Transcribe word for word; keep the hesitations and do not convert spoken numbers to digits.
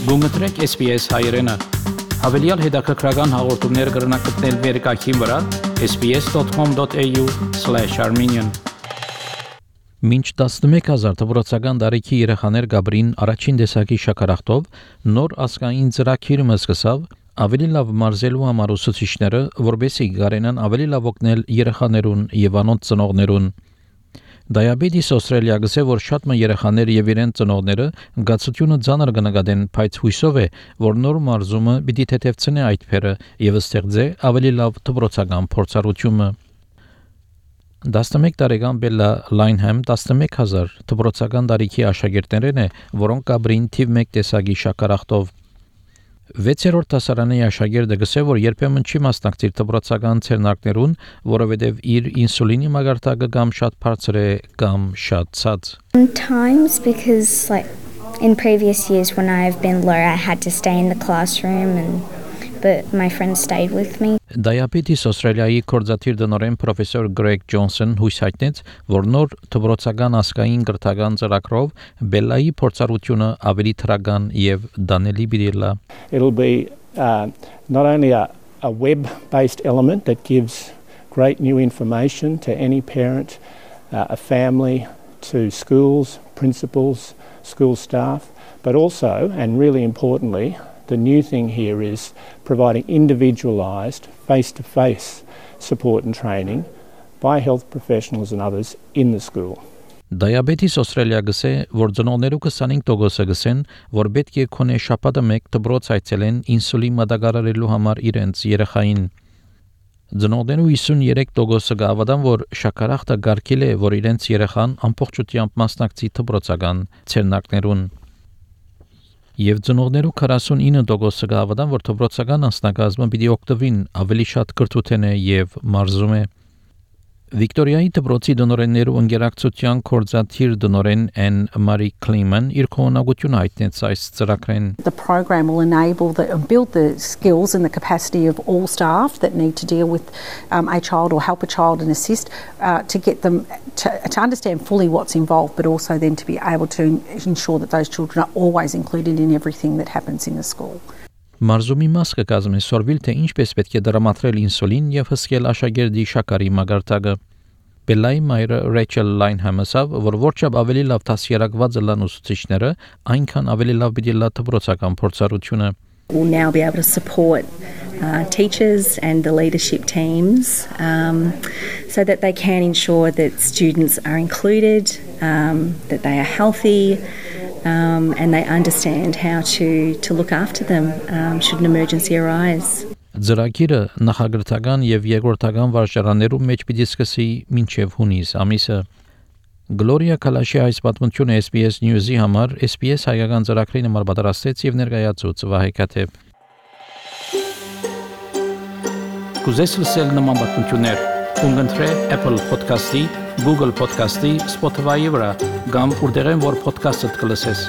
Գումտրեք S B S հայերեն։ Հավելյալ հետաքրքրական հաղորդումներ կգրնակցնել վերկայքին վրա s b s dot com dot a u slash armenian Մինչ տասնմեկ հազար դպրոցական տարիքի երեխաներ Գաբրին առաջին տեսակի շաքարախտով նոր ազգային ծրագիրը սկսավ ավելի լավ մարզելու համար ուսուցիչները, որպեսզի կարենան ավելի լավ օգնել երեխաներուն եւ անոնց ծնողներուն։ Diabetes Australia գսե որ շատ մը երեխաներ եւ իրենց ծնողները գացությունը ցաներ կնկատեն, բայց հույսով է, որ նոր մարզումը պիտի թեթևցնի այդ փերը եւ ստեղծե ավելի լավ դպրոցական փորձառությունը։ տասնմեկ տարեկան Բելլա Լայնհեմ տասնմեկ հազար դպրոցական տարիքի աշակերտներն է, որոնք Գաբրին թիվ մեկ տեսակի շաքարախտով վեցերորդ դասարանի աշակերտը գսե որ երբեմն չի մասնակցիր դպրոցական ցերնակներուն, որովհետև իր ինսուլինի մագարտակը կամ շատ բարձր է կամ շատ ցած։ Sometimes because like in previous years when I've been low I had to stay in the classroom and but my friends stayed with me. Diabetes Australia-ի կորզաթիր դնորեն պրոֆեսոր Greg Johnson հույս հայտնեց, որ նոր դպրոցական ազգային կրթական ծրագրով Բելլայի փորձառությունը ավելի թրական եւ դանելի բիդելա։ It'll be uh, not only a, a web-based element that gives great new information to any parent, uh, a family, to schools, principals, school staff, but also, and really importantly, the new thing here is providing individualised, face-to-face support and training by health professionals and others in the school. Diabetes Australia գսե, որ ծնողներու քսանինք տոկոսը գսեն, որ պետք է քոնե շաբաթը մեկ դպրոց այցելեն ինսուլին մատակարարելու համար իրենց երեխային։ Ծնողներու հիսունյերեք տոկոսը գավադան, որ շաքարախտը գարկել է, որ իրենց երեխան ամբողջությամբ մասնակցի դպրոցական ցերնակներուն։ Եվ ծնողներու քառասունինը տոկոսը գավադան, որ դպրոցական անձնակազմը պիտի օգտվին ավելի շատ կրթութեն է եւ մարզում է։ Վիկտորիայի դպրոցի դնորեններու ընկերակցության կորզաթիր դնորեն Anne Marie Kleeman իր կողմնակությունը հայտնեց այս ծրագրեն։ The program will enable the build the skills and the capacity of all staff that need to deal with um, a child or help a child and assist uh, to get them to, to understand fully what's involved, but also then to be able to ensure that those children are always included in everything that happens in the school. Մարզումի մաս կկազմի սորվիլ թե ինչպես պետք է դրամատրել ինսուլին եւ հսկել աշակերտի շաքարի մագարտակը։ Բելլայի մայրը Rachel Lynham ասավ, որ որչափ ավելի լավ դասերակված լան ուսուցիչները, այնքան ավելի լավ պիտի լա դպրոցական փորձառությունը։ We'll now be able to support uh, teachers and the leadership teams um, so that they can ensure that students are included, um, that they are healthy, Um, and they understand how to, to look after them um, should an emergency arise. Ծրագիրը նախագրթական եւ երկրորդական վարժարաններում մեջ պիտի սկսի մինչեւ հունիս ամիսը։ Գլորիա Կալաշի այս պատմությունը S B S News-ի համար S B S հայկական ծրագրի համար պատրաստեց եւ ներկայացուց Վահե Կաթեփ։ Կուզես լսել նման պատմություններ, կընտրե Apple Podcast-ի, Google Podcast-ի, Spotify-ի վրա, կամ որտեղեն որ podcast-ը կլսես։